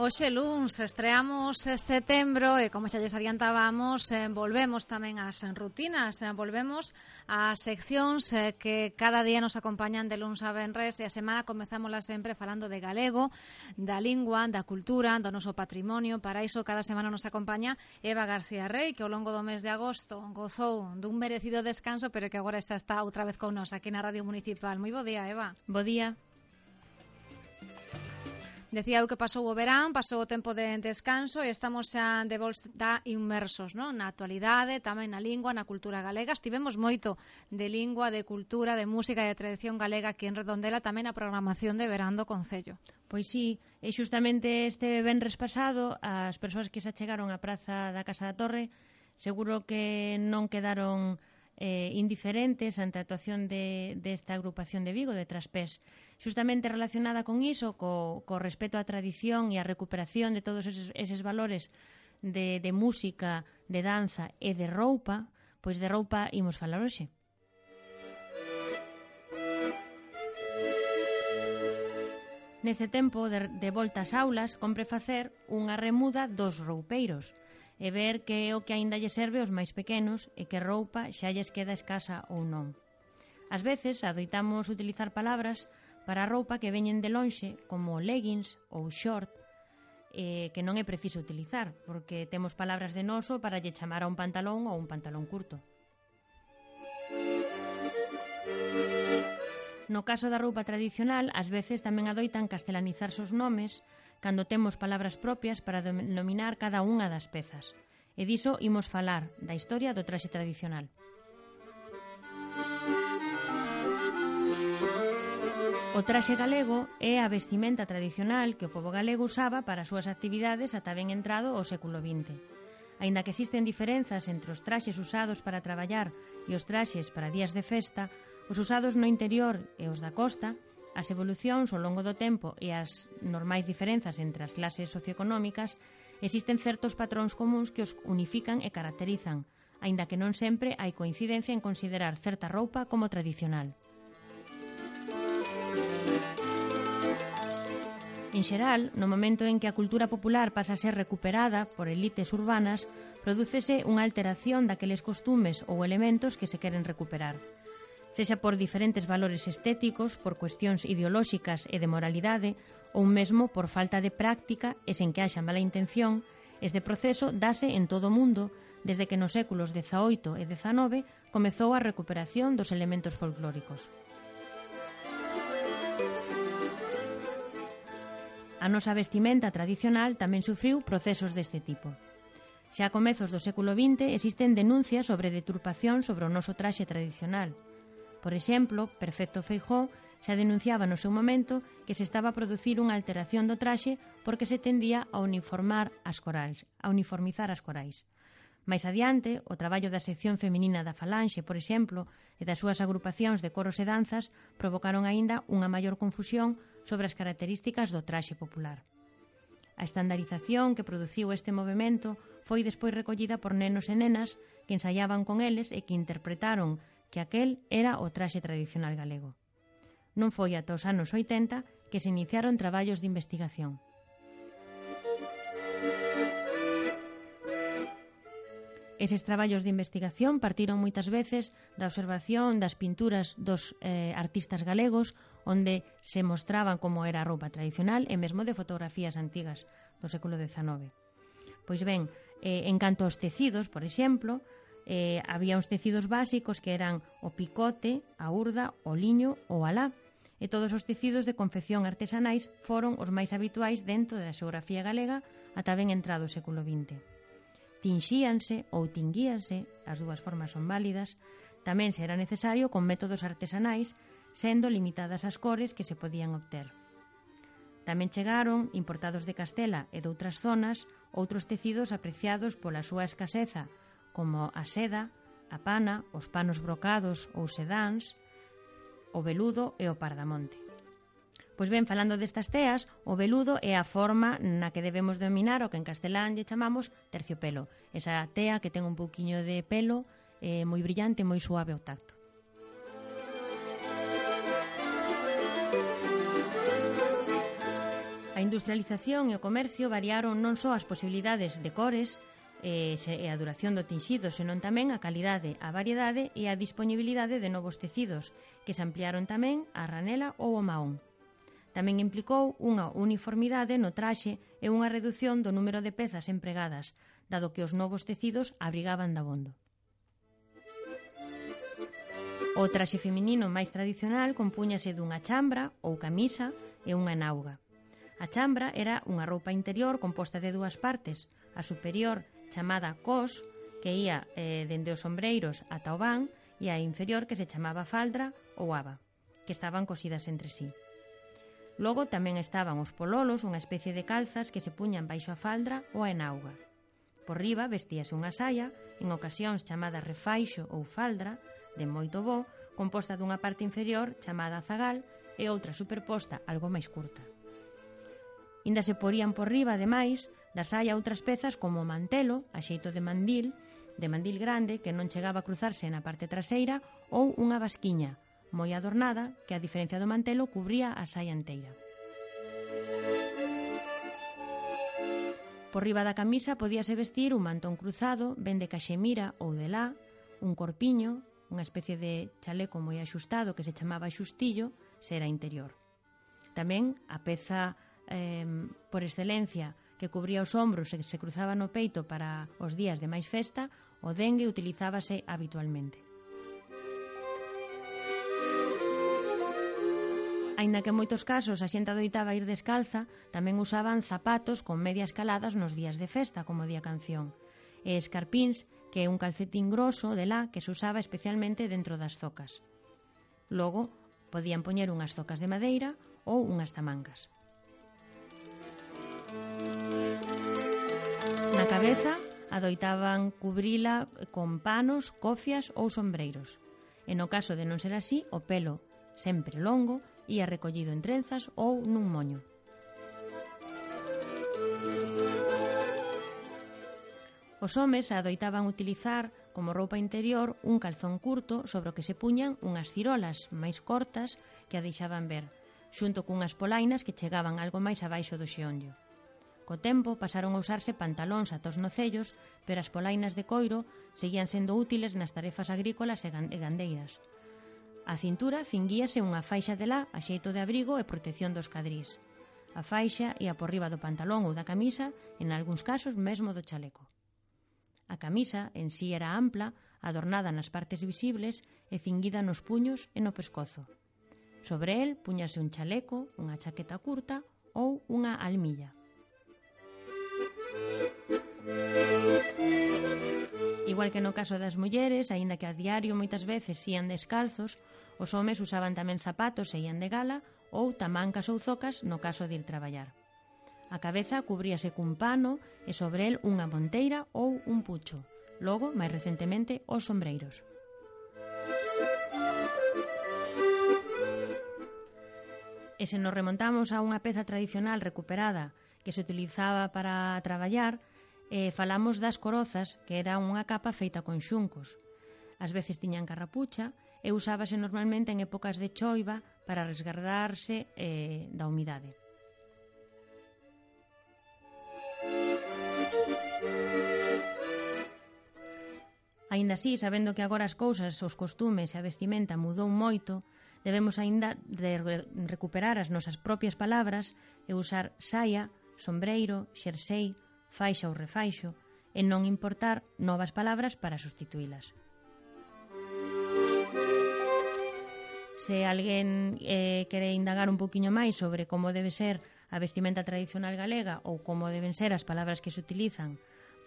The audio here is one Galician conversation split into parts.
Hoxe luns estreamos setembro e, como xa lles adiantábamos, volvemos tamén ás rutinas, volvemos ás seccións que cada día nos acompañan de luns a venres, e a semana comezámola sempre falando de galego, da lingua, da cultura, do noso patrimonio. Para iso cada semana nos acompaña Eva García Rey, que ao longo do mes de agosto gozou dun merecido descanso, pero que agora xa está outra vez con nos aquí na Radio Municipal. Moi bo día, Eva. Bo día. Decía eu que pasou o verán, pasou o tempo de descanso e estamos xa de volta inmersos, non? Na actualidade, tamén na lingua, na cultura galega. Estivemos moito de lingua, de cultura, de música e de tradición galega aquí en Redondela, tamén a programación de verán do Concello. Pois sí, e xustamente este venres pasado as persoas que se achegaron á praza da Casa da Torre seguro que non quedaron indiferentes ante a actuación desta agrupación de Vigo, de Traspés, xustamente relacionada con iso, co respeto á tradición e á recuperación de todos eses valores de música, de danza e de roupa. Pois de roupa imos falar hoxe. Neste tempo de volta ás aulas, compre facer unha remuda dos roupeiros e ver que é o que aínda lle serve aos máis pequenos e que roupa xa lles queda escasa ou non. Ás veces adoitamos utilizar palabras para a roupa que veñen de lonxe, como leggings ou short, que non é preciso utilizar, porque temos palabras de noso para lle chamar a un pantalón ou un pantalón curto. No caso da roupa tradicional, ás veces tamén adoitan castelanizarse os nomes cando temos palabras propias para denominar cada unha das pezas. E diso imos falar, da historia do traxe tradicional. O traxe galego é a vestimenta tradicional que o pobo galego usaba para as súas actividades ata ben entrado o século XX. Aínda que existen diferenzas entre os traxes usados para traballar e os traxes para días de festa, os usados no interior e os da costa, as evolucións ao longo do tempo e as normais diferenzas entre as clases socioeconómicas, existen certos patróns comuns que os unifican e caracterizan, aínda que non sempre hai coincidencia en considerar certa roupa como tradicional. En xeral, no momento en que a cultura popular pasa a ser recuperada por elites urbanas, prodúcese unha alteración daqueles costumes ou elementos que se queren recuperar. Sexa por diferentes valores estéticos, por cuestións ideolóxicas e de moralidade, ou mesmo por falta de práctica e sen que haxa mala intención, este proceso dase en todo o mundo desde que nos séculos XVIII e XIX comezou a recuperación dos elementos folclóricos. A nosa vestimenta tradicional tamén sufriu procesos deste tipo. Xa a comezos do século XX existen denuncias sobre deturpación sobre o noso traxe tradicional. Por exemplo, Perfecto Feijóo xa denunciaba no seu momento que se estaba a producir unha alteración do traxe porque se tendía a uniformizar as corais. Mais adiante, o traballo da sección feminina da Falanxe, por exemplo, e das súas agrupacións de coros e danzas provocaron aínda unha maior confusión sobre as características do traxe popular. A estandarización que produciu este movimento foi despois recollida por nenos e nenas que ensaiaban con eles e que interpretaron que aquel era o traxe tradicional galego. Non foi ata os anos 80 que se iniciaron traballos de investigación. Eses traballos de investigación partiron moitas veces da observación das pinturas dos artistas galegos, onde se mostraban como era a roupa tradicional e mesmo de fotografías antigas do século XIX. Pois ben, en canto aos tecidos, por exemplo, había uns tecidos básicos que eran o picote, a urda, o liño ou a lá, e todos os tecidos de confección artesanais foron os máis habituais dentro da xeografía galega ata ben entrado o século XX. Tinxíanse ou tinguíanse, as dúas formas son válidas, tamén se era necesario con métodos artesanais, sendo limitadas as cores que se podían obter. Tamén chegaron, importados de Castela e de outras zonas, outros tecidos apreciados pola súa escaseza, como a seda, a pana, os panos brocados ou sedáns, o veludo e o pardamonte. Pois ben, falando destas teas, o veludo é a forma na que debemos dominar o que en castelán lle chamamos terciopelo. Esa tea que ten un pouquiño de pelo moi brillante, moi suave ao tacto. A industrialización e o comercio variaron non só as posibilidades de cores e a duración do tinxido, senón tamén a calidade, a variedade e a disponibilidade de novos tecidos, que se ampliaron tamén a ranela ou o mahón. Tamén implicou unha uniformidade no traxe e unha redución do número de pezas empregadas, dado que os novos tecidos abrigaban dabondo. O traxe feminino máis tradicional compúñase dunha chambra ou camisa e unha enauga. A chambra era unha roupa interior composta de dúas partes, a superior chamada cos, que ía dende os ombreiros ata o van, e a inferior que se chamaba faldra ou aba, que estaban cosidas entre sí. Logo tamén estaban os pololos, unha especie de calzas que se puñan baixo a faldra ou a enauga. Por riba vestíase unha saia, en ocasións chamada refaixo ou faldra, de moito bo, composta dunha parte inferior chamada zagal e outra superposta algo máis curta. Inda se porían por riba, ademais, da saia outras pezas como o mantelo, a xeito de mandil grande que non chegaba a cruzarse na parte traseira, ou unha basquiña, moi adornada, que a diferencia do mantelo cubría a saia enteira. Por riba da camisa podíase vestir un mantón cruzado, ben de caxemira ou de lá, un corpiño, unha especie de chaleco moi axustado que se chamaba xustillo, se era interior. Tamén a peza por excelencia que cubría os ombros e se cruzaba no peito para os días de máis festa, o dengue utilizábase habitualmente. Aínda que en moitos casos a xente adoitaba ir descalza, tamén usaban zapatos con medias caladas nos días de festa, como di a canción, e escarpíns, que é un calcetín groso de lá que se usaba especialmente dentro das zocas. Logo, podían poñer unhas zocas de madeira ou unhas tamancas. Na cabeza adoitaban cubrila con panos, cofias ou sombreiros. E no caso de non ser así, o pelo, sempre longo, ía recollido en trenzas ou nun moño. Os homes adoitaban utilizar como roupa interior un calzón curto sobre o que se puñan unhas cirolas máis cortas que a deixaban ver, xunto cunhas polainas que chegaban algo máis abaixo do xeonllo. Co tempo pasaron a usarse pantalóns ata os nocellos, pero as polainas de coiro seguían sendo útiles nas tarefas agrícolas e gandeiras. A cintura cinguíase unha faixa de lá a xeito de abrigo e protección dos cadrís. A faixa ia por riba do pantalón ou da camisa, en algúns casos mesmo do chaleco. A camisa en sí era ampla, adornada nas partes visibles e cinguida nos puños e no pescozo. Sobre el puñase un chaleco, unha chaqueta curta ou unha almilla. Igual que no caso das mulleres, aínda que a diario moitas veces ían descalzos, os homes usaban tamén zapatos e ían de gala ou tamancas ou zocas no caso de ir traballar. A cabeza cubríase cun pano e sobre el unha monteira ou un pucho. Logo, máis recentemente, os sombreiros. E se nos remontamos a unha peza tradicional recuperada que se utilizaba para traballar, falamos das corozas, que era unha capa feita con xuncos. Ás veces tiñan carrapucha e usábase normalmente en épocas de choiva para resguardarse da humidade. Aínda así, sabendo que agora as cousas, os costumes e a vestimenta mudou moito, debemos aínda de recuperar as nosas propias palabras e usar saia, sombreiro, xersei, faixa ou refaixo, e non importar novas palabras para substituílas. Se alguén quere indagar un poquinho máis sobre como debe ser a vestimenta tradicional galega ou como deben ser as palabras que se utilizan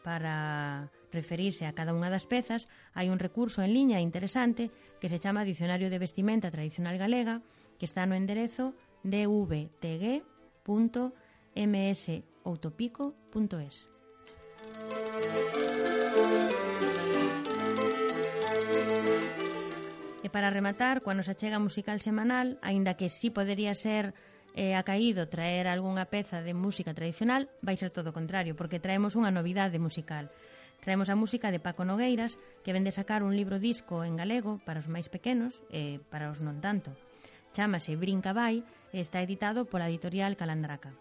para referirse a cada unha das pezas, hai un recurso en liña interesante que se chama Dicionario de Vestimenta Tradicional Galega, que está no enderezo dvtg.msoutopico.es. E para rematar, coa nosa chega musical semanal, aínda que sí podería ser acaído traer algunha peza de música tradicional, vai ser todo o contrario, porque traemos unha novidade musical. Traemos a música de Paco Nogueiras, que vende sacar un libro disco en galego para os máis pequenos e para os non tanto. Chámase Brinca Vai e está editado pola editorial Calandraca.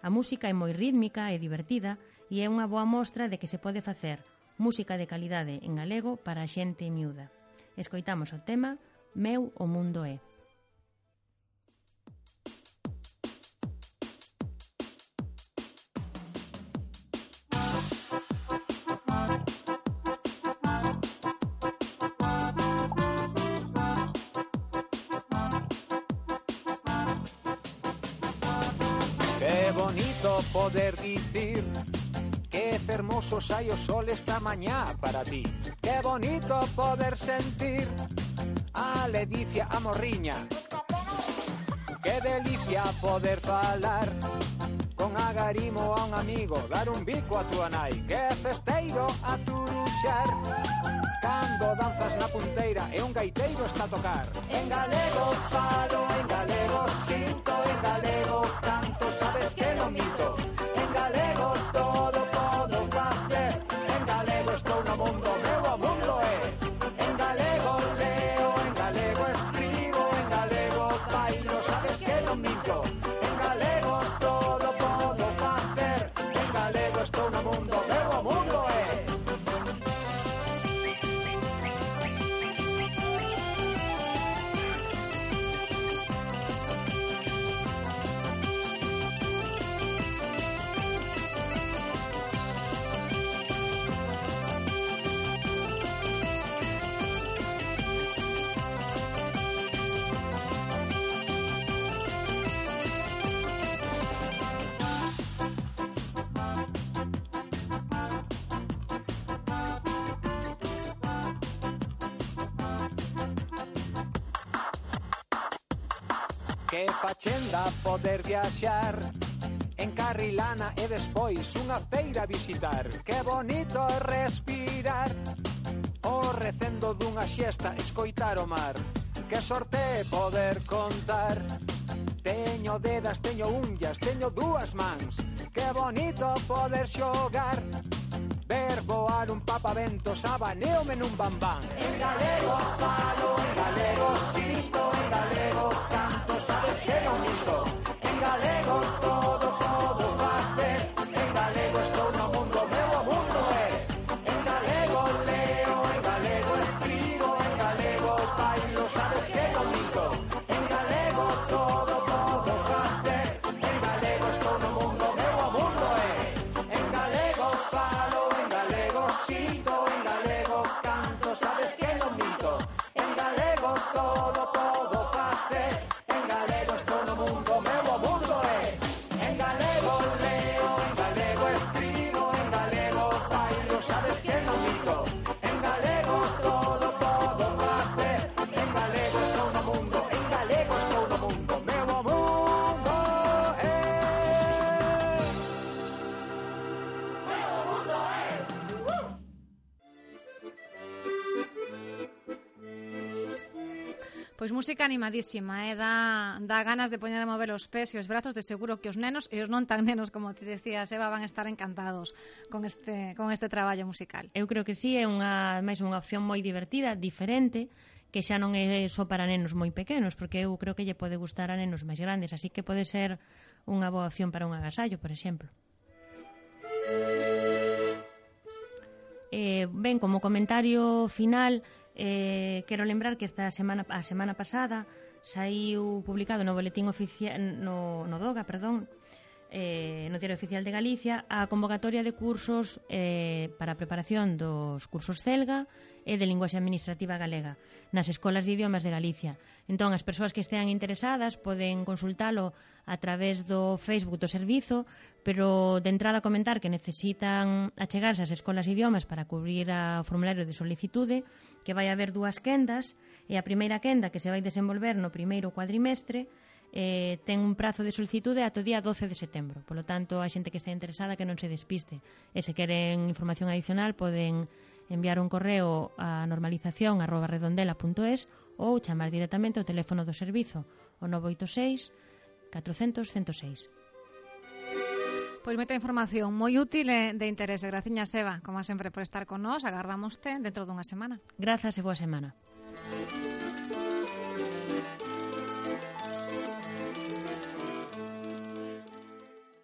A música é moi rítmica e divertida e é unha boa mostra de que se pode facer música de calidade en galego para a xente miúda. Escoitamos o tema Meu o mundo é. Que bonito poder dicir que fermoso sai o sol esta mañá para ti. Que bonito poder sentir a ledicia, a morriña. Que delicia poder falar con agarimo a un amigo, dar un bico a tua nai. Que festeiro a turuxar cando danzas na punteira e un gaiteiro está a tocar. En galego falo, en galego sinto, en galego canto, sabes que non minto. En galego todo podo facer, en galego estou no mundo, meu o mundo é. En galego leo, en galego escribo, en galego bailo, sabes que non minto. En galego todo podo facer, en galego estou no mundo, meu o mundo é. Que fachenda poder viaxar en Carrilana e despois unha feira visitar. Que bonito respirar o recendo dunha xesta, escoitar o mar. Que sorte poder contar. Teño dedas, teño unllas, teño dúas mans. Que bonito poder xogar, ver voar un papaventos, abaneome nun bambán. En galego falo, en galego sinto, en galego canto, sabes que non minto. En galego todo podo facer, en galego estou no mundo, meu o mundo é. En galego leo, en galego escribo, en galego bailo, sabes que non minto. En galego todo podo facer, en galego estou no mundo, meu o mundo é. En galego falo, en galego sinto, en galego canto, sabes que non minto. En galego todo podo facer, en galego estou no mundo, meu o mundo é. En galego leo, en galego escribo, en galego bailo, sabes que non minto. En galego todo podo facer, en galego estou no mundo, en galego estou no mundo, meu o mundo é. Meu o mundo é. Pois música animadísima, dá ganas de poñer a mover os pés e os brazos, de seguro que os nenos e os non tan nenos, como te decías, Eva, van a estar encantados con este traballo musical. Eu creo que sí, é máis unha opción moi divertida, diferente, que xa non é só para nenos moi pequenos, porque eu creo que lle pode gustar a nenos máis grandes, así que pode ser unha boa opción para un agasallo, por exemplo. Ben, como comentario final, quero lembrar que a semana pasada saiu publicado no boletín oficial no DOGA, no Diario Oficial de Galicia, a convocatoria de cursos para a preparación dos cursos CELGA e de linguaxe administrativa galega nas escolas de idiomas de Galicia. Entón, as persoas que estean interesadas poden consultalo a través do Facebook do servizo, pero de entrada comentar que necesitan achegarse ás escolas de idiomas para cubrir o formulario de solicitude, que vai haber 2 quendas, e a primeira quenda, que se vai desenvolver no primeiro cuadrimestre, ten un prazo de solicitude ata o día 12 de setembro. Polo tanto, a xente que este interesada que non se despiste. E se queren información adicional poden enviar un correo a normalización@redondela.es ou chamar directamente ao teléfono do servizo, o 986 400 106. Pois moita información moi útil e de interese. Graciñas, Eva, como sempre, por estar con nós. Agardámoste dentro dunha semana. Grazas e boa semana.